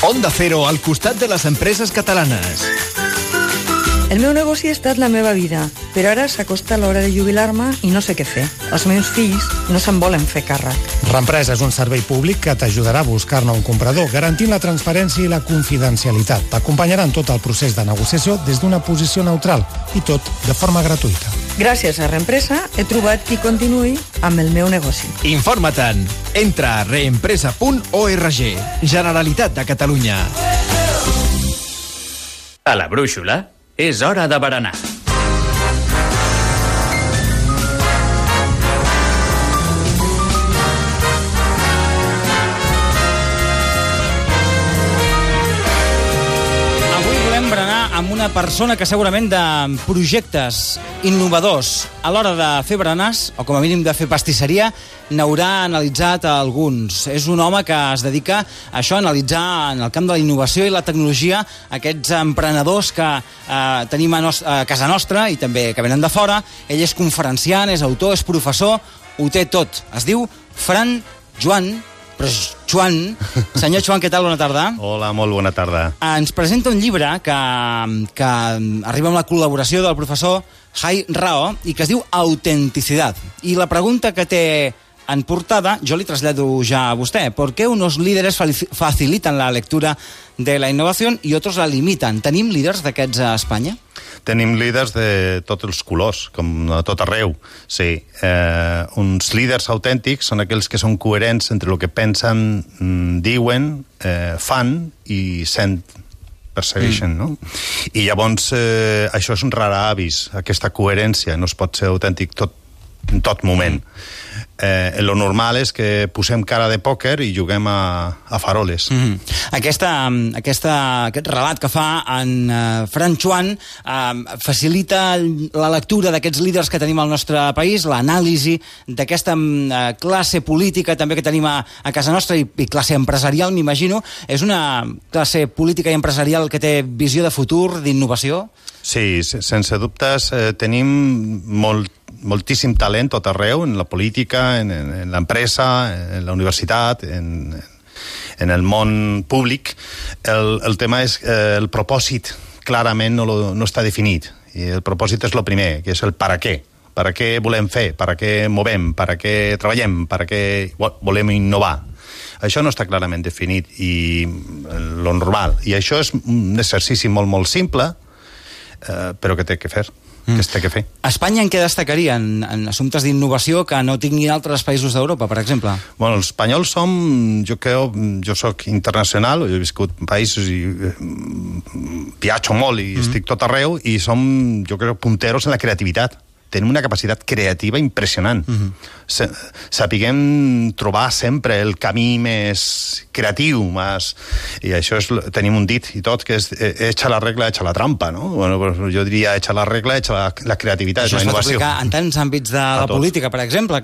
Onda Cero, al costat de les empreses catalanes. El meu negoci ha estat la meva vida, però ara s'acosta l'hora de jubilar-me i no sé què fer. Els meus fills no se'n volen fer càrrec. Reempresa és un servei públic que t'ajudarà a buscar-ne un comprador, garantint la transparència i la confidencialitat. T'acompanyarà en tot el procés de negociació des d'una posició neutral i tot de forma gratuïta. Gràcies a Reempresa he trobat qui continuï amb el meu negoci. Informa-te'n. Entra a reempresa.org. Generalitat de Catalunya. A la brúixola és hora de berenar. Avui volem berenar amb una persona que segurament de projectes innovadors a l'hora de fer berenars, o com a mínim de fer pastisseria, n'haurà analitzat alguns. És un home que es dedica a això, a analitzar en el camp de la innovació i la tecnologia aquests emprenedors que tenim a casa nostra i també que venen de fora. Ell és conferenciant, és autor, és professor, ho té tot. Es diu Fran Joan, però Joan. Senyor Joan, què tal? Bona tarda. Hola, molt bona tarda. Ens presenta un llibre que arriba amb la col·laboració del professor Jai Rao i que es diu Autenticidad. I la pregunta que té en portada, jo li trasllado ya a vostè. ¿Por qué unos líderes facilitan la lectura de la innovación y otros la limitan? Tenim líders d'aquests a Espanya? Tenim líders de tots els colors, com a tot arreu. Sí, uns líders autèntics són aquells que són coherents entre el que pensen, diuen, fan i persegueixen, no? I llavors això és un rar avis, aquesta coherència. No es pot ser autèntic en tot moment. Lo normal és que posem cara de pòquer i juguem a faroles. Aquest relat que fa en Fran Joan facilita la lectura d'aquests líders que tenim al nostre país, l'anàlisi d'aquesta classe política també que tenim a casa nostra i classe empresarial, m'imagino. És una classe política i empresarial que té visió de futur, d'innovació? Sí, sense dubtes tenim moltíssim talent tot arreu, en la política, en l'empresa, en la universitat, en el món públic. El tema és el propòsit clarament no està definit. I el propòsit és el primer, que és el per a què. Per a què volem fer, per a què movem, per a què treballem, per a què volem innovar. Això no està clarament definit i lo normal. I això és un exercici molt, molt simple, però que té que fer. Que es té que fer. Espanya en què destacaria? En assumptes d'innovació que no tinguin altres països d'Europa, per exemple? Bueno, els espanyols som, jo soc internacional, he viscut en països i viatjo molt i estic tot arreu i som, jo crec, punteros en la creativitat. Tenim una capacitat creativa impressionant. Sapiguem trobar sempre el camí més creatiu, i això tenim un dit i tot, que és echa la regla, echa la trampa, no? Bueno, jo diria echa la regla, echa la creativitat, la innovació. Això es pot aplicar en tants àmbits de la política, per exemple,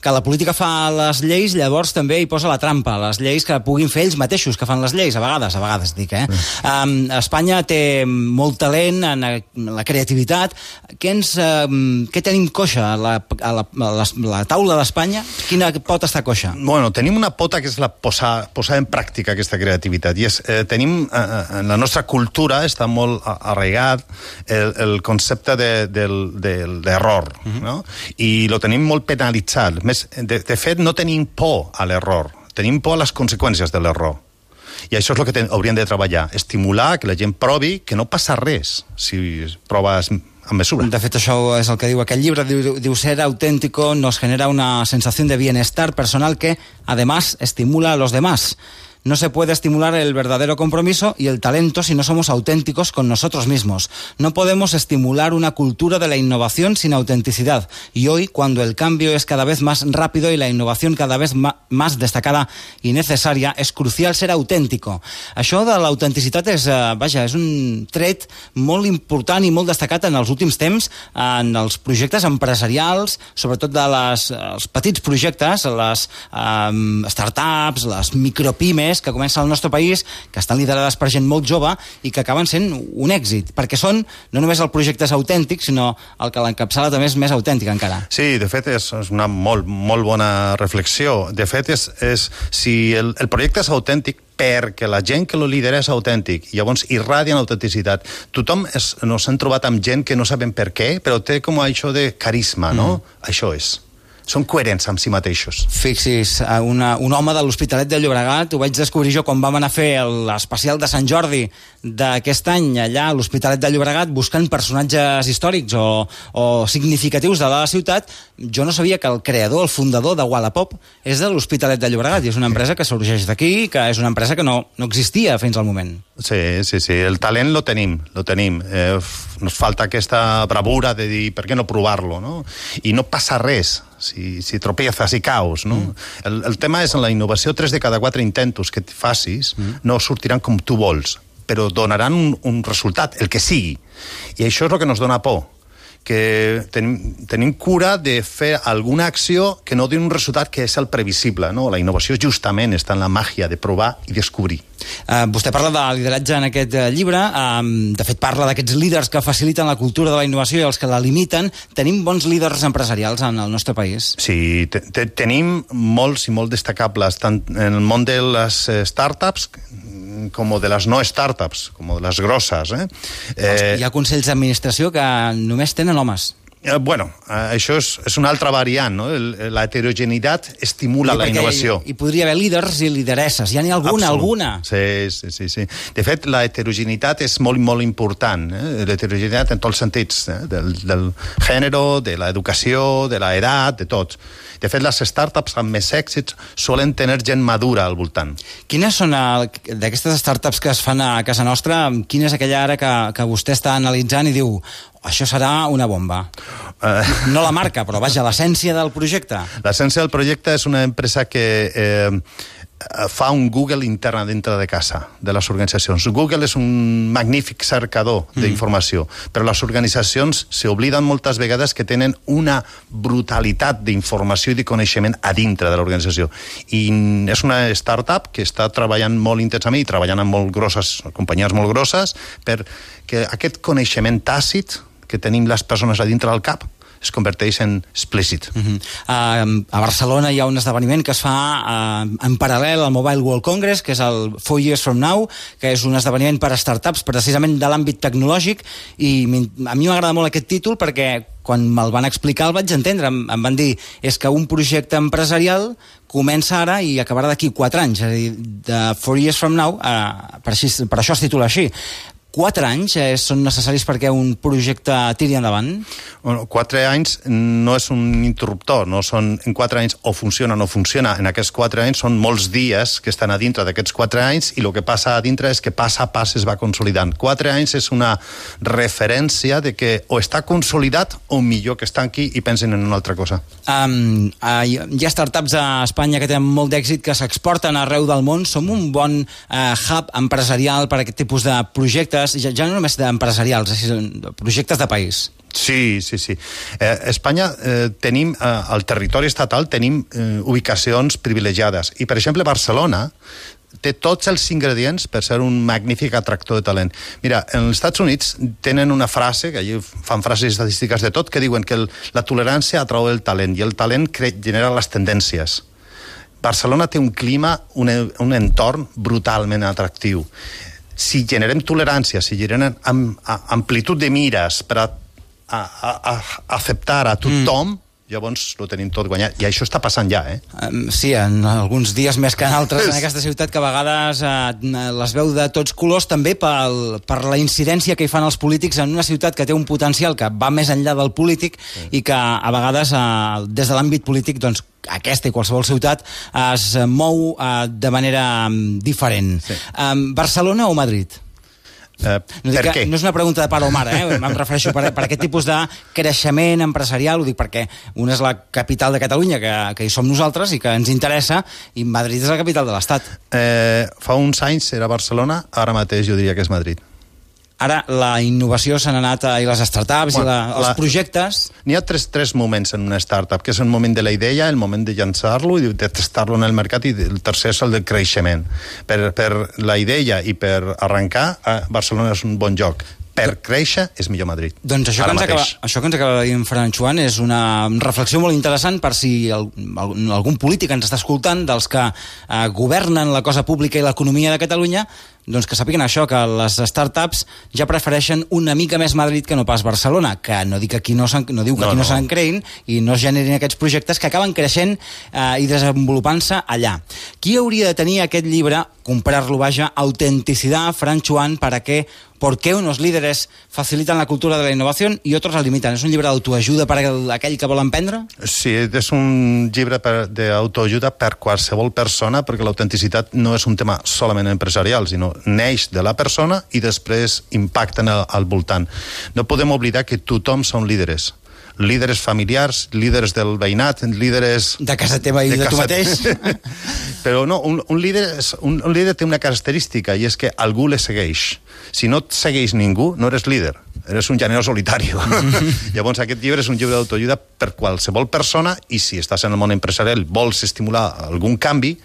que la política fa les lleis, llavors també hi posa la trampa, les lleis que puguin fer ells mateixos, que fan les lleis, a vegades dic, Espanya té molt talent en la creativitat. Què tenim coixa? La taula d'Espanya, quina pot estar coixa? Bueno, tenim una pota que és la posar en pràctica aquesta creativitat. I tenim, en la nostra cultura està molt arraigat el concepte d'error, no? I lo tenim molt penalitzat. De fet, no tenim por a l'error, tenim por a les conseqüències de l'error. I això és el que hauríem de treballar, estimular que la gent provi que no passa res si proves amb mesura. De fet, això és el que diu aquell llibre, diu ser auténtico nos genera una sensación de bienestar personal que, además, estimula a los demás. No se puede estimular el verdadero compromiso y el talento si no somos auténticos con nosotros mismos. No podemos estimular una cultura de la innovación sin autenticidad. Y hoy, cuando el cambio es cada vez más rápido y la innovación cada vez más destacada y necesaria, es crucial ser auténtico. Això de l'autenticitat és un tret molt important i molt destacat en els últims temps en els projectes empresarials, sobretot els petits projectes, les startups, les micropimes, pimes que comencen al nostre país, que estan liderades per gent molt jove i que acaben sent un èxit, perquè són, no només el projecte és autèntic, sinó el que l'encapçala també és més autèntic encara. Sí, de fet és una molt bona reflexió. De fet, si el projecte és autèntic, perquè la gent que lo lidera és autèntic, i llavors irradien autenticitat. Tothom nos hem trobat amb gent que no sabem per què, però té com això de carisma, no? Això és. Són coherents amb si mateixos. Fixis, un home de l'Hospitalet de Llobregat, ho vaig descobrir jo quan vam anar a fer l'especial de Sant Jordi d'aquest any, allà a l'Hospitalet de Llobregat, buscant personatges històrics o significatius de la ciutat. Jo no sabia que el creador, el fundador de Wallapop és de l'Hospitalet de Llobregat, i és una empresa que sorgeix d'aquí, que és una empresa que no existia fins al moment. Sí, el talent lo tenim. Nos falta aquesta bravura de dir per què no provar-lo, no? I no passa res si tropiezas i caus, no? El tema és en la innovació, 3 de cada 4 intentos que facis no sortiran com tu vols, però donaran un resultat, el que sigui. I això és el que nos dona por, que tenim cura de fer alguna acció que no doni un resultat que és el previsible, no? La innovació justament està en la màgia de provar i descobrir. Vostè parla de lideratge en aquest llibre, de fet parla d'aquests líders que faciliten la cultura de la innovació i els que la limiten. Tenim bons líders empresarials en el nostre país? Sí, tenim molts i molt destacables, tant en el món de les startups com de les no startups, com de les grosses. Hi ha consells d'administració que només tenen homes. Bueno, això és una altra variant, no? La heterogeneïtat estimula la innovació. Hi podria haver líders i lideresses. Ja n'hi ha alguna? Sí. De fet, la heterogeneïtat és molt important. L'heterogeneïtat en tots els sentits, del gènere, de l'educació, de l'edat, de tot. De fet, les startups amb més èxits solen tenir gent madura al voltant. Quines són, d'aquestes startups que es fan a casa nostra, quina és aquella ara que vostè està analitzant i diu això serà una bomba? No la marca, però vaja, l'essència del projecte. L'essència del projecte és una empresa que fa un Google intern dintre de casa, de les organitzacions. Google és un magnífic cercador d'informació, però les organitzacions s'obliden moltes vegades que tenen una brutalitat d'informació i de coneixement a dintre de l'organització. I és una startup que està treballant molt intensament i treballant amb molt grosses, companyies molt grosses, perquè aquest coneixement tàcit que tenim les persones a dintre del cap es converteix en explícit. A Barcelona hi ha un esdeveniment que es fa en paral·lel al Mobile World Congress, que és el 4 Years From Now, que és un esdeveniment per a startups, precisament de l'àmbit tecnològic, i a mi m'agrada molt aquest títol perquè quan me'l van explicar el vaig entendre. Em van dir, és que un projecte empresarial comença ara i acabarà d'aquí 4 anys, és a dir, de 4 Years From Now, per això es titula així. 4 anys són necessaris perquè un projecte tiri endavant? Bueno, 4 anys no és un interruptor, no són en 4 anys o funciona o no funciona. En aquests 4 anys són molts dies que estan a dintre d'aquests 4 anys i el que passa a dintre és que pas a pas es va consolidant. 4 anys és una referència de que o està consolidat o millor que estan aquí i pensen en una altra cosa. Hi ha startups a Espanya que tenen molt d'èxit, que s'exporten arreu del món. Som un bon hub empresarial per a aquest tipus de projectes, ja no només d'empresarials, projectes de país. Sí. Espanya tenim, al territori estatal tenim ubicacions privilegiades i, per exemple, Barcelona té tots els ingredients per ser un magnífic atractor de talent. Mira, en els Estats Units tenen una frase, que allà fan frases estadístiques de tot, que diuen que la tolerància atrau el talent i el talent genera les tendències. Barcelona té un clima, un entorn brutalment atractiu. Si generem tolerància, si generem amplitud de mires per acceptar a tothom, llavors ho tenim tot guanyat. I això està passant ja, Sí, en alguns dies més que en altres en aquesta ciutat, que a vegades les veu de tots colors, també per la incidència que hi fan els polítics en una ciutat que té un potencial que va més enllà del polític i que a vegades des de l'àmbit polític, doncs, aquesta i qualsevol ciutat es mou de manera diferent. Sí. Barcelona o Madrid? Per què? No és una pregunta de pare o mare, em refereixo per aquest tipus de creixement empresarial, ho dic perquè una és la capital de Catalunya, que hi som nosaltres i que ens interessa, i Madrid és la capital de l'Estat. Fa uns anys era Barcelona, ara mateix jo diria que és Madrid. Ara la innovació s'ha anat, i les startups i els projectes... N'hi ha tres moments en una startup, que és el moment de la idea, el moment de llançar-lo i de testar-lo en el mercat, i el tercer és el del creixement. Per la idea i per arrencar, Barcelona és un bon lloc. Per créixer és millor Madrid. Doncs això que ens acaba de dir en Ferran Chuan és una reflexió molt interessant per si algun polític ens està escoltant, dels que governen la cosa pública i l'economia de Catalunya, doncs que sàpiguen això, que les startups ja prefereixen una mica més Madrid que no pas Barcelona, que no diu que aquí no se'n creïn i no es generin aquests projectes que acaben creixent i desenvolupant-se allà. Qui hauria de tenir aquest llibre, comprar-lo, Autenticidad, Ferran Chuan, ¿por qué unos líderes facilitan la cultura de la innovación y otros la limitan? ¿És un llibre d'autoajuda per a aquell que vol emprendre? Sí, és un llibre d'autoajuda per qualsevol persona, perquè l'autenticitat no és un tema solament empresarial, sinó neix de la persona i després impacten al voltant. No podem oblidar que tothom són líderes. Líderes familiars, líderes del veïnat, líderes... De casa teva i de tu mateix. Però no, un líder té una característica, i és que algú le segueix. Si no et segueix ningú, no eres líder. Eres un llanero solitari. Llavors, aquest llibre és un llibre d'autoajuda per qualsevol persona, i si estàs en el món empresarial, vols estimular algun canvi,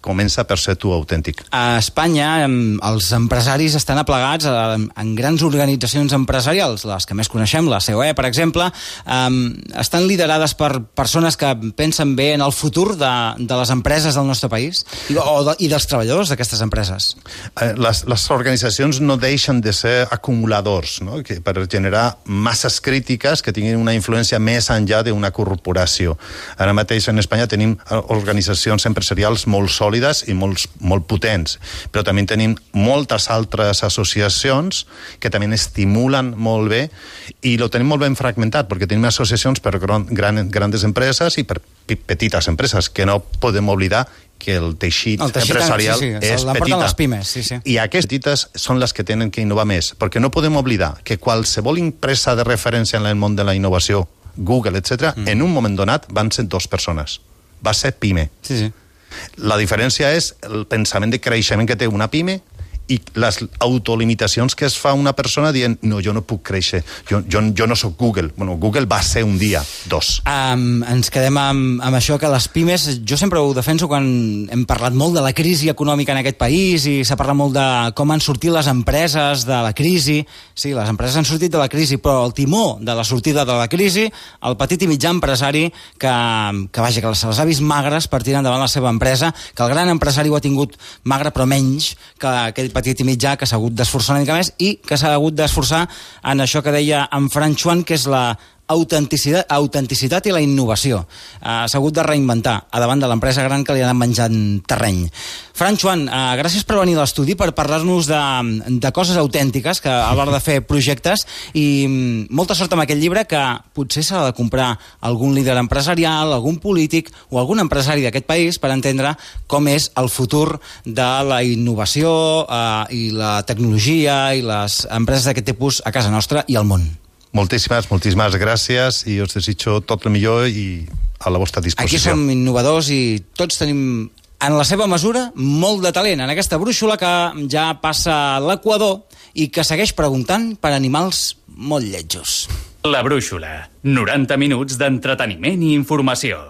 comença per ser tu autèntic. A Espanya, els empresaris estan aplegats en grans organitzacions empresarials, les que més coneixem, la COE, per exemple, estan liderades per persones que pensen bé en el futur de les empreses del nostre país i dels treballadors d'aquestes empreses. Les organitzacions no deixen de ser acumuladors, no? Per generar masses crítiques que tinguin una influència més enllà d'una corporació. Ara mateix en Espanya tenim organitzacions empresarials molt sòlides i molt potents, però també tenim moltes altres associacions que també estimulen molt bé, i lo tenim molt ben fragmentat, perquè tenim associacions per grans empreses i per petites empreses, que no podem oblidar que el teixit empresarial és petita. Les pimes, sí. I aquestes petites són les que tenen que innovar més, perquè no podem oblidar que qualsevol empresa de referència en el món de la innovació, Google, etc., en un moment donat van ser 2 persones. Va ser PIME. Sí. La diferència és el pensament de creixement que té una PIME i les autolimitacions que es fa una persona dient, no, jo no puc créixer, jo no sóc Google. Bueno, Google va ser un dia, 2. Ens quedem amb això, que les pimes, jo sempre ho defenso quan hem parlat molt de la crisi econòmica en aquest país i s'ha parlat molt de com han sortit les empreses de la crisi. Sí, les empreses han sortit de la crisi, però el timó de la sortida de la crisi, el petit i mitjà empresari que se'ls ha vist magres per tirar endavant la seva empresa, que el gran empresari ho ha tingut magre, però menys que aquell petit i mitjà que s'ha hagut d'esforçar una mica més i que s'ha hagut d'esforçar en això que deia en Ferran Chuan, que és la autenticitat i la innovació. S'ha hagut de reinventar a davant de l'empresa gran que li ha anat menjant terreny. Ferran Chuan, gràcies per venir a l'estudi, per parlar-nos de coses autèntiques que a l'hora de fer projectes, i molta sort amb aquest llibre, que potser s'ha de comprar algun líder empresarial, algun polític o algun empresari d'aquest país per entendre com és el futur de la innovació i la tecnologia i les empreses d'aquest tipus a casa nostra i al món. Moltíssimes gràcies, i us desitjo tot el millor i a la vostra disposició. Aquí som innovadors i tots tenim, en la seva mesura, molt de talent en aquesta brúixola que ja passa l'Equador i que segueix preguntant per animals molt lletjos. La brúixola, 90 minuts d'entreteniment i informació.